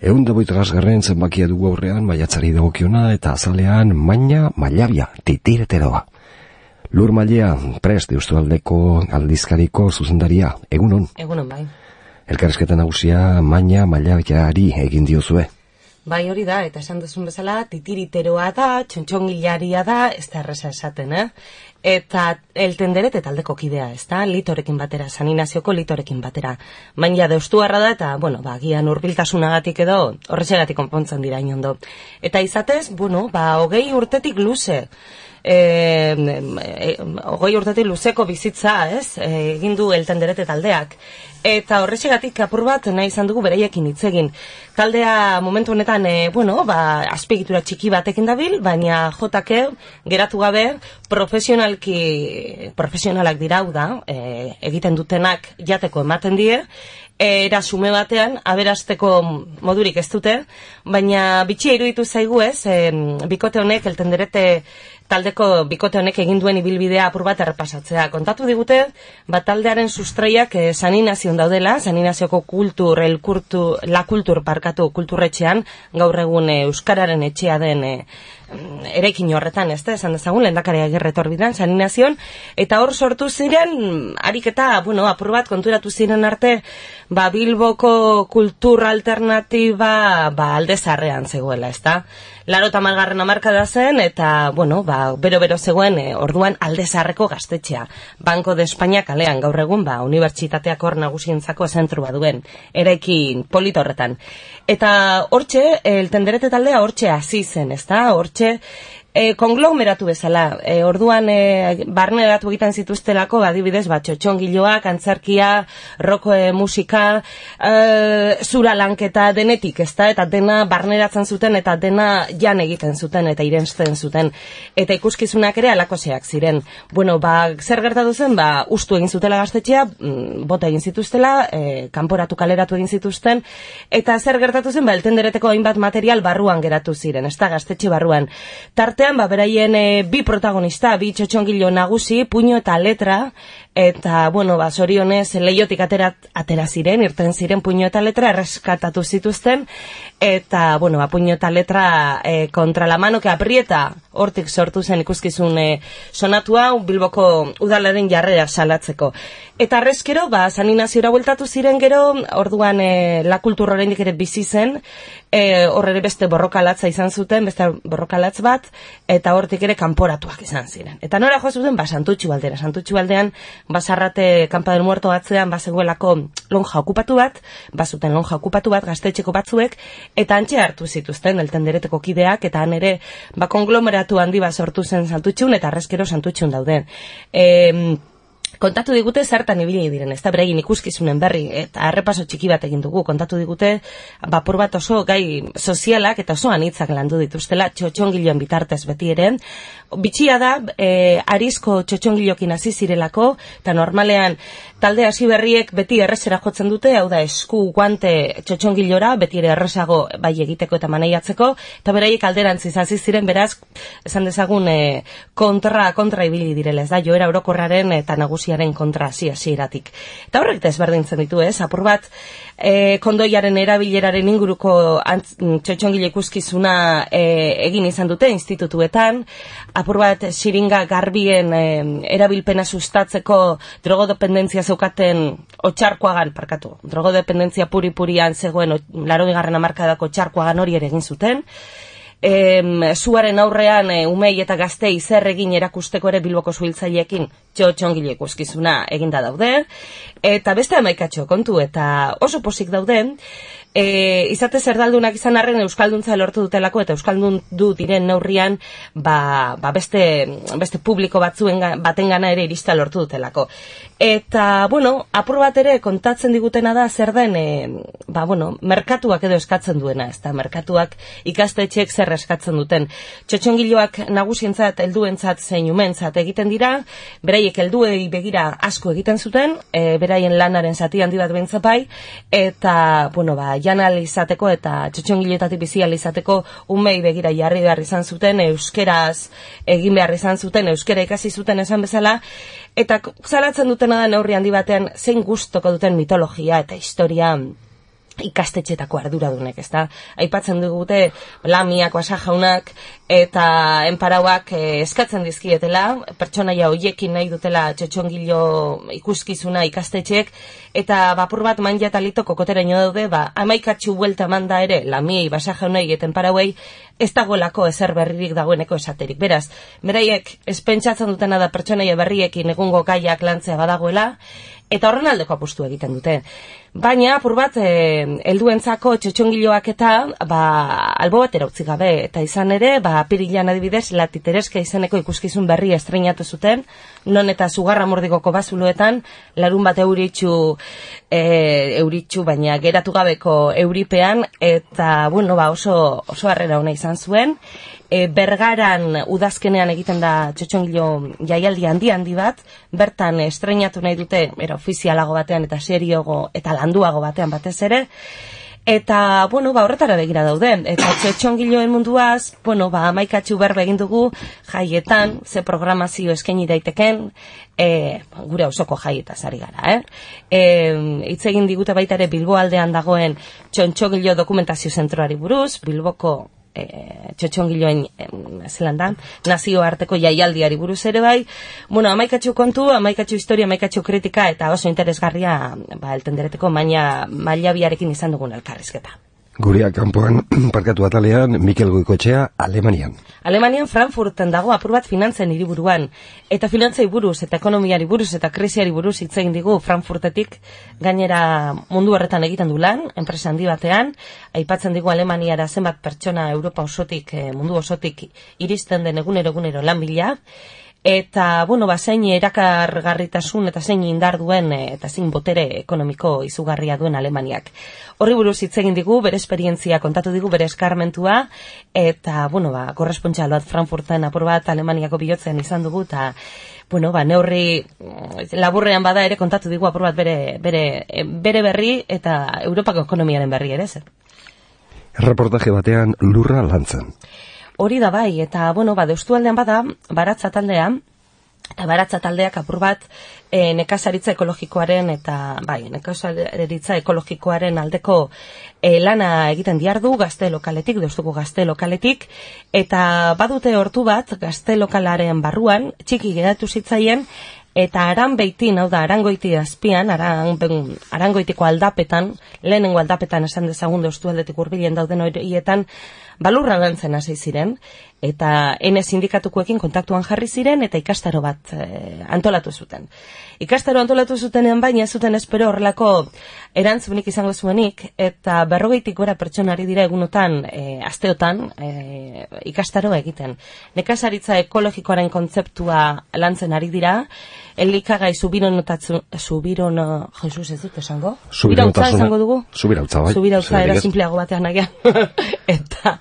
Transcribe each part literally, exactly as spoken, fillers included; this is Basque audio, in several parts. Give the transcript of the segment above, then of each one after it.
Ehun da hogeita garren zenbakia dugu aurrean, maiatzari dagokiona eta azalean maina mailabia, titireteroa. Lur Mailea, prest Eustualdeko aldizkariko zuzendaria, egunon? Egunon, bai. Elkarrizketa nagusia maina mailabiari egin diozue. Bai, hori da, eta esan duzun bezala, titiriteroa da, txontxongilaria da, ez da erreza esaten, eh? Eta eltenderet eta aldeko kidea, ez da, litorekin batera, San Inazioko litorekin batera. Maina deustuarra da, eta, bueno, ba, gian urbiltasunagatik edo, horrexegatik konpontzen dira inondo. Eta izatez, bueno, ba, hogei urtetik luze, E, e, hogei urtetik luzeko bizitza, ez, e, egin du eltenderete taldeak. Eta horrexegatik apur bat nahi izan dugu bereiekin hitz egin. Taldea momentu honetan, e, bueno, ba, azpiegitura txiki batekin dabil, baina jotake geratu gabe profesionalki, profesionalak dirau da, e, egiten dutenak jateko ematen die, era sume batean, aberasteko modurik ez dute, baina bitxia iruditu zaigu ez, e, bikote honek, eltenderete taldeko bikote honek egin duen ibilbidea apur bat errepasatzea. Kontatu digute, bat taldearen sustraiak eh, San Inazion daudela, San Inazioko kultur, el kultur, la kultur parkatu kulturretxean, gaur egun eh, Euskararen etxea den eh, erekin horretan, ez da, esan dezagun, lehendakaria gerretorbidan, San Inazion, eta hor sortu ziren, ariketa, bueno, apur bat konturatu ziren arte, ba, Bilboko kultur alternatiba, ba, alde zarrean zegoela, ez da. Laro eta malgarren amarkada zen, eta, bueno, ba, bero-bero zegoen, e, orduan alde zarreko gaztetxea. Banco de España kalean, gaur egun, ba, unibertsitateak hor nagusientzako zentrua duen, erekin polito horretan. Eta hortxe, eltenderete taldea hortxe hasi zen, ez da, hortxe, E, konglomeratu bezala, e, orduan e, barneratu egiten zituztelako, adibidez, ba, txotxongiloak, antzerkia, rock e, musika, e, zura lanketa denetik, ezta, eta dena barneratzen zuten, eta dena jan egiten zuten, eta irensten zuten, eta ikuskizunak ere alakoseak ziren. Bueno, ba, zer gertatu zen, ba, ustu egin zutela gaztetxea, bota egin zituztela, e, kanporatu kaleratu egin zituzten, eta zer gertatu zen, ba, eltendereteko hainbat material barruan geratu ziren, ezta, gaztetxe barruan. Tarte ba, beraien e, bi protagonista, bi txotxongilo nagusi, puño eta letra, eta, bueno, ba, zorionez, leiotik atera, atera ziren, irten ziren puño eta letra, erreskatatu zituzten, eta, bueno, ba, puño eta letra e, kontra la mano que aprieta, hortik sortu zen ikuskizun e, sonatua, Bilboko udalaren jarrera salatzeko. Eta arrezkero, ba, San Inaziora bueltatu ziren gero, orduan e, la kultura oraindik ere bizi zen, e, horre beste borrokalatza izan zuten, beste borrokalatz bat, eta hortik ere kanporatuak izan ziren. Eta nora jo zuten, ba, Santutxu aldera. Santutxu aldean, Basarrate Kampa del Muerto batzean, bazegoelako lonja okupatu bat, bazuten lonja okupatu bat, gaztetxeko batzuek, eta antxe hartu zituzten, eltendereteko kideak, eta han ere, ba, konglomeratu handi bat sortu zen Santutxun, eta arrezkero Santutxun dauden. E, kontatu digute zertan ibili diren, ez da beraien ikuskizunen berri, eta errepaso txiki bat egin dugu, kontatu digute, bapur bat oso gai sozialak eta oso anitzak landu dituztela, txotxongiloen bitartez beti ere. Bitxia da, e, arizko txotxongilokin hasi zirelako, eta normalean talde hasi berriek beti errezera jotzen dute, hau da esku guante txotxongilora, beti ere errezago bai egiteko eta maneiatzeko, eta beraiek alderantziz hasi ziren, beraz, esan dezagun e, kontra, kontra ibili direla, ez da, joera orokorraren eta nagusiaren kontra hasi hasieratik. Eta horrek desberdintzen ditu, ez, apur bat, e, kondoiaren erabileraren inguruko txotxongile ikuskizuna e, egin izan dute institutuetan, apur bat xiringa garbien e, erabilpena sustatzeko drogodependentzia zeukaten otxarkoagan, parkatu, drogodependentzia puri-purian zegoen laroigarren hamarkadako otxarkoagan hori ere egin zuten. E, zuaren aurrean e, umei eta gaztei zer egin erakusteko ere Bilboko zuhiltzaileekin txotxongile ikuskizuna eginda daude, eta beste hamaikatxo kontu, eta oso posik dauden, e, izate zerdaldunak izan arren euskalduntza lortu dutelako, eta euskaldun du diren neurrian, ba, ba beste, beste publiko batzuen baten gana ere irista lortu dutelako. Eta, bueno, apur bat ere kontatzen digutena da zer den, e, ba, bueno, merkatuak edo eskatzen duena, ez da, merkatuak ikastetxeek zer eskatzen duten. Txotxongiloak nagusientzat, helduentzat zein umentzat egiten dira, beraiek helduei begira asko egiten zuten, e, beraien lanaren zati handi bat bentzapai, eta, bueno, ba, janal izateko eta txotxongiloetatik bizi ahal izateko umei begira jarri behar izan zuten, euskeraz egin behar izan zuten, euskera ikasi zuten esan bezala, eta zalatzen dutena da neurri handi batean zein gustoko duten mitologia eta historia ikastetxetako arduradunek, ezta? Aipatzen dugute Lamiak, Basa jaunak eta enparauak eh, eskatzen dizkietela, pertsonaia hoiekin nahi dutela txotxongilo ikuskizuna ikastetxek, eta bapur bat manja eta lito kokoteraino daude, ba, amaikatxu buelta manda ere, Lamiei, Basa jaunei eta enparauei, ez dagoelako ezer berririk dagoeneko esaterik. Beraz, beraiek espentsatzen dutena da pertsonaia berriekin egungo gaiak lantzea badagoela, eta horren aldeko apustu egiten dute. Baina, apur bat, e, helduentzako txotxongiloak eta, ba, albo batera utzi gabe, eta izan ere, ba, apirilean adibidez, Latitereska izeneko ikuskizun berri estreinatu zuten, non eta Sugarra Mordigoko bazuloetan, larun bat euritxu, e, euritxu, baina geratu gabeko euripean, eta, bueno, ba, oso, oso harrera ona izan zuen. E, Bergaran udazkenean egiten da txotxongilo jaialdi handi handi bat, bertan estreinatu nahi dute, era ofizialago batean eta seriogo eta landuago batean batez ere, eta, bueno, ba, horretara begira daude, eta txotxongiloen munduaz, bueno, ba, amaikatxu berbe egin dugu jaietan, ze programazio eskaini daiteken, e, gure osoko jaietaz ari gara, eh? E, hitz egin digute baita ere Bilbo aldean dagoen txotxongilo dokumentazio zentroari buruz, Bilboko E, txotxongiloen e, zelan da, nazioarteko jaialdiari buruz ere bai. Bueno, amaikatxu kontu, amaikatxu historia, amaikatxu kritika, eta oso interesgarria, ba, eltendereteko maila biarekin izan dugun elkarrizketa. Guria kanpoan, parkatu atalean, Mikel Goikotxea, Alemanian. Alemanian Frankfurten dago apur bat finantzen hiriburuan, eta finantzei buruz, eta ekonomiari buruz, eta krisiari buruz hitz egin digu Frankfurtetik, gainera mundu horretan egiten du lan, enpresa handi batean, aipatzen digu Alemaniara zenbat pertsona Europa osotik, mundu osotik iristen den egunero egunero lan bila, eta, bueno, ba, zein erakargarritasun eta zein indar duen eta zein botere ekonomiko izugarria duen Alemaniak. Horri buruz hitz egin digu, bere esperientzia kontatu digu, bere eskarmentua, eta, bueno, ba, korrespontxal bat Frankfurten apur bat Alemaniako bihotzen izan dugu, eta, bueno, ba, neurri laburrean bada ere kontatu digu apur bat bere, bere, bere berri eta Europako ekonomiaren berri ere, zer. Reportaje batean lurra lantzen. Hori da bai, eta, bueno, ba, deustualdean bada, baratza taldea, eta baratza taldeak apur bat e, nekazaritza ekologikoaren eta, bai, nekazaritza ekologikoaren aldeko e, lana egiten diardu gazte lokaletik, deustuko gazte lokaletik, eta badute hortu bat gazte lokalaren barruan, txiki geratu zitzaien, eta Aranbeitin, hau da, Arangoiti azpian, aran, Arangoitiko aldapetan, lehenengo aldapetan esan dezagun deustualdetik hurbilen dauden horietan, balurra lantzen hasi ziren, eta ene sindikatukoekin kontaktuan jarri ziren, eta ikastaro bat e, antolatu zuten. Ikastaro antolatu zutenean baina zuten espero horrelako erantzunik izango zuenik, eta berrogeitik gora pertsonari dira egunotan, e, asteotan, e, ikastaro egiten. Nekazaritza ekologikoaren kontzeptua lantzen ari dira, elikagai subiranotatzu, subirono, Jesus ez dut esango? Subirautza esango dugu? Subirautza, bai. Subirautza era simpleago batean nagian. eta,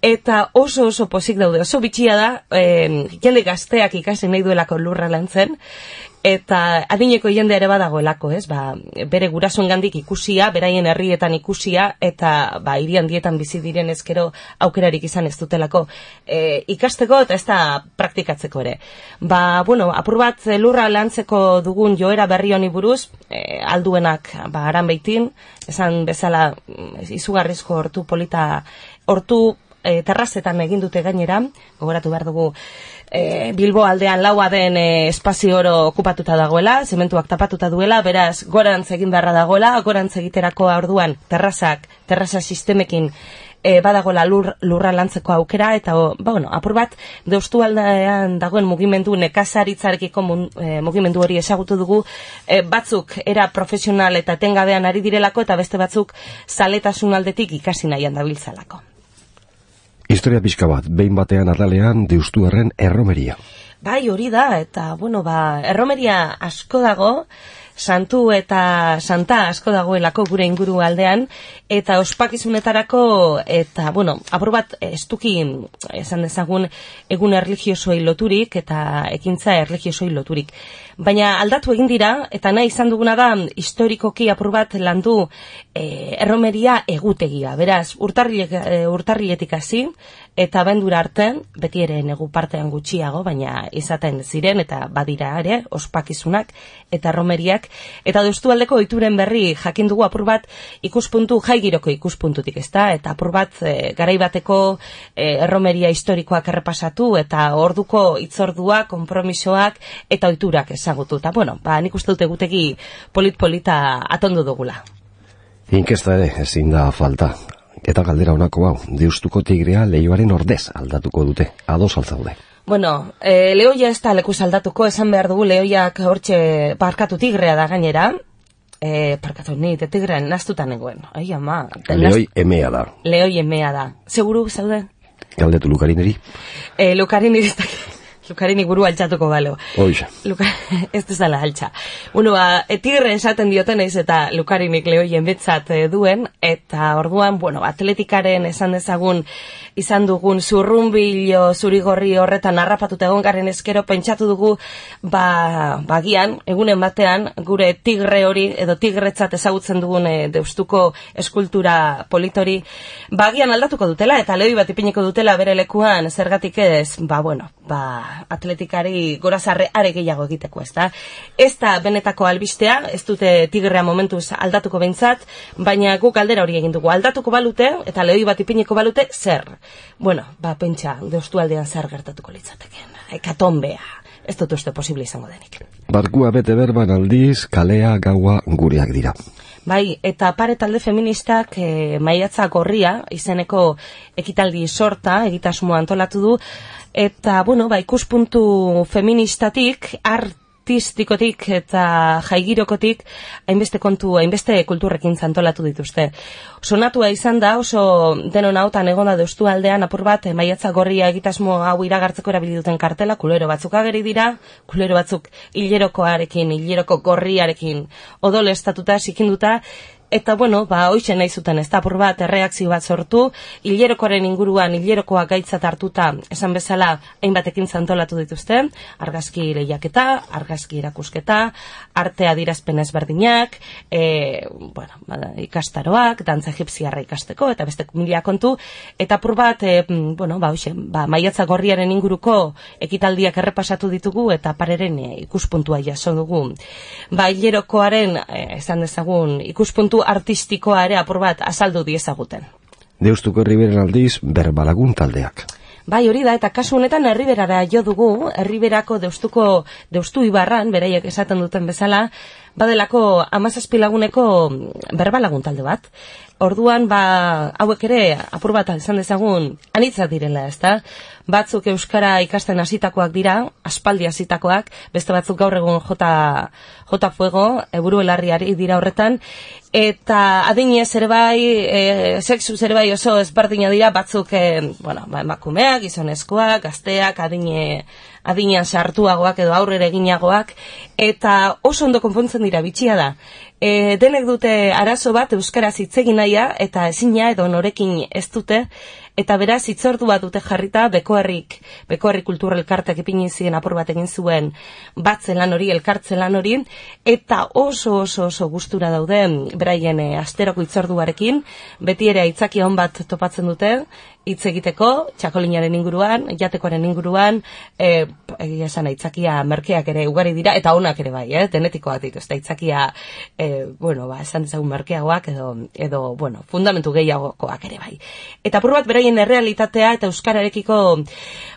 eta oso oso pozik daude, oso bitxia da, eh, jende gazteak ikasi nahi duelako lurra lantzen, eta adineko jende ere badagoelako, ez? Ba, bere gurasoengandik ikusia, beraien herrietan ikusia, eta ba, hiri handietan bizi diren ezkero aukerarik izan ez dutelako e, ikasteko eta ez da praktikatzeko ere. Ba, bueno, apur bat lurra lantzeko dugun joera berri honi buruz, e, alduenak ba, Aranbeitin, esan bezala izugarrizko hortu polita, hortu e, terrazetan egin dute gainera, gogoratu behar dugu, E, Bilbo aldean laua den e, espazio oro okupatuta dagoela, zementuak tapatuta duela, beraz gorantz egin beharra dagoela, gorantz egiterako orduan terrazak, terraza sistemekin e, badagoela lur, lurra lantzeko aukera, eta o, ba, bueno, apur bat deustu aldean dagoen mugimendu nekazaritzarekiko e, mugimendu hori ezagutu dugu, e, batzuk era profesional eta etengabean ari direlako, eta beste batzuk zaletasun aldetik ikasi nahian dabiltzalako. Historia pixka bat, behin batean atalean deustuarren erromeria. Bai, hori da, eta, bueno, ba, erromeria asko dago, santu eta santa asko dagoelako gure inguru aldean, eta ospakizunetarako, eta, bueno, apur bat estuki, esan dezagun, egun erligiosoi loturik, eta ekintza erligiosoi loturik. baina aldatu egin dira, eta nahi izan duguna da historikoki apur bat landu e, erromeria egutegia. Beraz, urtarrilek, e, urtarriletik hasi, eta bendura artean, beti ere negu partean gutxiago, baina izaten ziren, eta badira ere, ospakizunak eta erromeriak, eta Deustualdeko ohituren berri jakin dugu apur bat ikuspuntu, jaigiroko ikuspuntutik, ezta? Eta apur bat e, garaibateko e, erromeria historikoak errepasatu, eta orduko itzordua, konpromisoak, eta ohiturak ezagutu. Eta, bueno, ba, nik uste dut egutegi polit-polita atondu dugula. Inkesta ere, ezin da falta. Eta galdera honako hau, Deustuko tigrea Leioaren ordez aldatuko dute, ados altzaude. Bueno, e, Leioia ez da lekuz aldatuko, esan behar dugu Leioiak hortxe parkatu tigrea da gainera, e, parkatu ni, de tigrean naztutan egoen. Ai, ama. Leoi emea da. Leoi emea da. Seguru zaude? Galdetu Lukarineri? E, Lukarineri ez da... Lukarinik buru altxatuko balo. Oixa. Luka, ez duzala altxa. Bueno, ba, tigre esaten dioten ez eta Lukarinik Leoien betzat duen, eta orduan, bueno, atletikaren esan dezagun, izan dugun zurrunbilo zurigorri horretan harrapatuta egon garen eskero, pentsatu dugu, ba, bagian, egunen batean, gure tigre hori, edo tigretzat ezagutzen dugun e, Deustuko eskultura politori, bagian aldatuko dutela, eta Leoi bat ipiniko dutela bere lekuan, zergatik ez, ba, bueno, ba, atletikari gorazarre are gehiago egiteko, ez da? Ez da benetako albistea, ez dute tigrea momentuz aldatuko behintzat, baina guk aldera hori egin dugu. Aldatuko balute, eta Leoi bat ipiniko balute, zer? Bueno, ba, pentsa, Deustualdean zer gertatuko litzateken. Hekatombea. Ez dut uste posible izango denik. Barkua bete berban aldiz, kalea gaua gureak dira. Bai, eta pare talde feministak e, maiatza gorria, izeneko ekitaldi sorta, egitasmoa antolatu du, eta, bueno, ba, ikuspuntu feministatik, artistikotik eta jaigirokotik, hainbeste kontu, hainbeste kulturrekin zantolatu dituzte. Sonatua izan da, oso denon hautan egon da Deustualdean, apur bat, maiatza gorria egitasmo hau iragartzeko erabili duten kartela, kulero batzuk ageri dira, kulero batzuk hilerokoarekin, hileroko gorriarekin odolestatuta, sikinduta, eta, bueno, ba, hoixen nahi zuten, ez da, apur bat, erreakzio bat sortu, hilerokoaren inguruan, hilerokoa gaitzat hartuta, esan bezala, hainbatekin zantolatu dituzte, argazki lehiaketa, argazki erakusketa, arte adirazpen ezberdinak, e, bueno, ba, ikastaroak, dantza egipziarra ikasteko, eta beste mila kontu, eta apur bat, e, bueno, ba, hoixen, ba, maiatza gorriaren inguruko ekitaldiak errepasatu ditugu, eta pareren e, ikuspuntua jaso dugu. Ba, hilerokoaren, e, esan dezagun, ikuspuntu artistikoa ere apur bat azaldu diezaguten. Deustuko Herriberen aldiz berbalagun taldeak. Bai, hori da, eta kasu honetan Herriberara jo dugu, Herriberako Deustuko, Deustu Ibarran, beraiek esaten duten bezala, badelako hamazazpi laguneko berbalagun talde bat. Orduan, ba, hauek ere, apur bat izan dezagun, anitzak direla, ez da? Batzuk euskara ikasten hasitakoak dira, aspaldi hasitakoak, beste batzuk gaur egun jota, jota fuego, eburu elarriari dira horretan, eta adinez ere bai, e, sexu ere bai oso ezberdina dira, batzuk, e, bueno, ba, emakumeak, gizonezkoak, gazteak, adine, adinean sartuagoak edo aurrera eginagoak, eta oso ondo konpontzen dira, bitxia da. E, denek dute arazo bat euskaraz hitz egin nahia eta ezina edo norekin ez dute, eta beraz hitzordu bat dute jarrita Bekoherrik, Bekoherri Kultur Elkarteak ipini zien apur bat egin zuen batzen lan hori, elkartzen lan hori, eta oso oso oso gustura daude beraien e, asteroko hitzorduarekin, beti ere aitzakia on bat topatzen dute, hitz egiteko, txakolinaren inguruan, jatekoaren inguruan, e, egia esan aitzakia merkeak ere ugari dira, eta onak ere bai, eh, denetikoatik, ez da aitzakia, e, bueno, ba, esan dezagun merkeagoak, edo, edo, bueno, fundamentu gehiagokoak ere bai. Eta apur bat beraien errealitatea eta euskararekiko,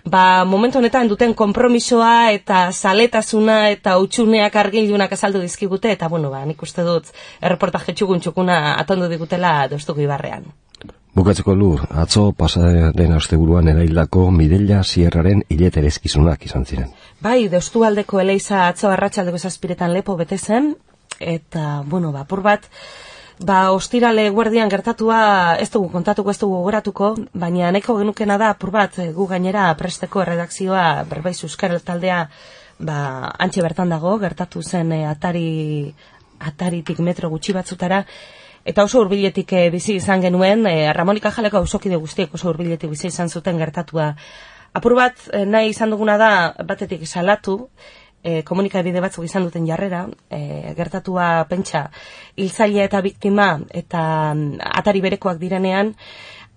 ba, momentu honetan duten konpromisoa eta zaletasuna eta utxuneak argilunak azaldu dizkigute, eta, bueno, ba, nik uste dut erreportaje txukun txukuna atondu digutela Deustuko Ibarrean. Bukatzeko Lur, atzo pasaren asteburuan eraildako Mireia Sierraren hileterezkizunak izan ziren. Bai, Deustualdeko Eleiza atzo arratsaldeko zazpiretan lepo bete zen, eta, bueno, ba, apur bat, ba, ostirale guardian gertatua ez dugu kontatuko, ez dugu gogoratuko, baina nahiko genukena da, apur bat, gu gainera presteko redakzioa Berbaiz Euskara taldea, ba, antxe bertan dago, gertatu zen e, atari, ataritik metro gutxi batzutara, eta oso hurbiletik e, bizi izan genuen, e, Ramonika Jaleko auzokide guztiek oso hurbiletik bizi izan zuten gertatua. Apur bat, e, nahi izan duguna da, batetik salatu, e, komunikabide batzuk izan duten jarrera, e, gertatua pentsa hiltzailea eta biktima eta atari berekoak direnean,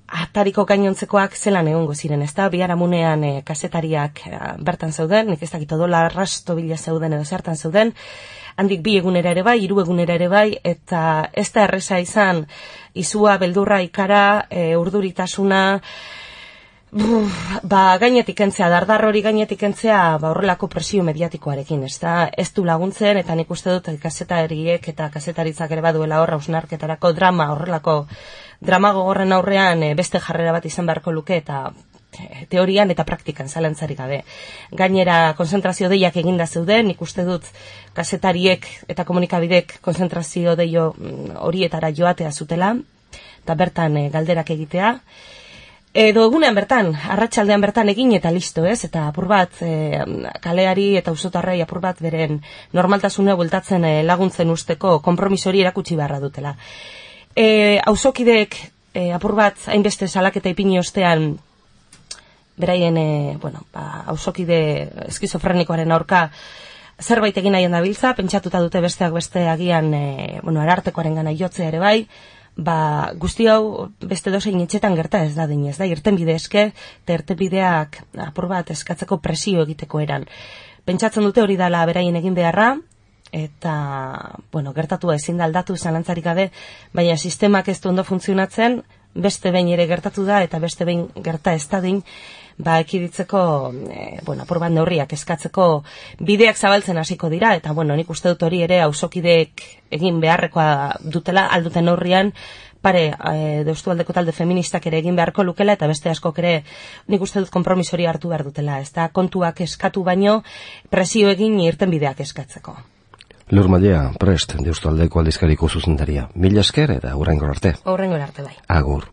atariko gainontzekoak zelan egongo ziren, ezta? Biharamunean e, kazetariak e, bertan zeuden, nik ez dakit odola arrasto bila zeuden edo zertan zeuden, handik bi egunera ere bai, hiru egunera ere bai, eta ez da erreza izan, izua, beldurra, ikara, e, urduritasuna, buf, ba, gainetik entzea, dardar hori gainetik entzea, ba, horrelako presio mediatikoarekin, ez da, ez du laguntzen, eta nik uste dut kazetariek eta kazetaritzak ere baduela horra hausnarketarako drama, horrelako drama gogorren aurrean e, beste jarrera bat izan beharko luke, eta teorian eta praktikan zalantzarik gabe. Gainera, konzentrazio deiak eginda zeuden, nik uste dut kazetariek eta komunikabidek konzentrazio deio horietara joatea zutela, eta bertan e, galderak egitea. Edo egunean bertan, arratsaldean bertan egin eta listo, ez? Eta apur bat, e, kaleari eta auzotarrei apur bat beren normaltasuna bueltatzen e, laguntzen usteko konpromisori erakutsi beharra dutela. E, auzokideek e, apur bat hainbeste salaketa ipini ostean beraien, e, bueno, ba, auzokide eskizofrenikoaren aurka zerbait egin nahian dabiltza, pentsatuta dute besteak beste agian, e, bueno, arartekoaren gana jotzea ere bai, ba, guzti hau beste dozein etxetan gerta ez da dinez, da, irtenbide eske, eta irtenbideak apur bat eskatzeko presio egiteko eran. Pentsatzen dute hori dala beraien egin beharra, eta, bueno, gertatua ezin da aldatu zalantzarik gabe, baina sistemak ez du ondo funtzionatzen, beste behin ere gertatu da, eta beste behin gerta ez da din, ba, ekiditzeko, e, bueno, apur bat neurriak eskatzeko bideak zabaltzen hasiko dira, eta, bueno, nik uste dut hori ere auzokideek egin beharrekoa dutela, alduten neurrian, pare, e, deustualdeko talde feministak ere egin beharko lukela, eta beste askok ere nik uste dut konpromisori hartu behar dutela, ez da, kontuak eskatu baino, presio egin irten bideak eskatzeko. Lur Mallea, prest, deustualdeko aldizkariko zuzendaria. Mila esker eta hurrengor arte. Hurrengor arte bai. Agur.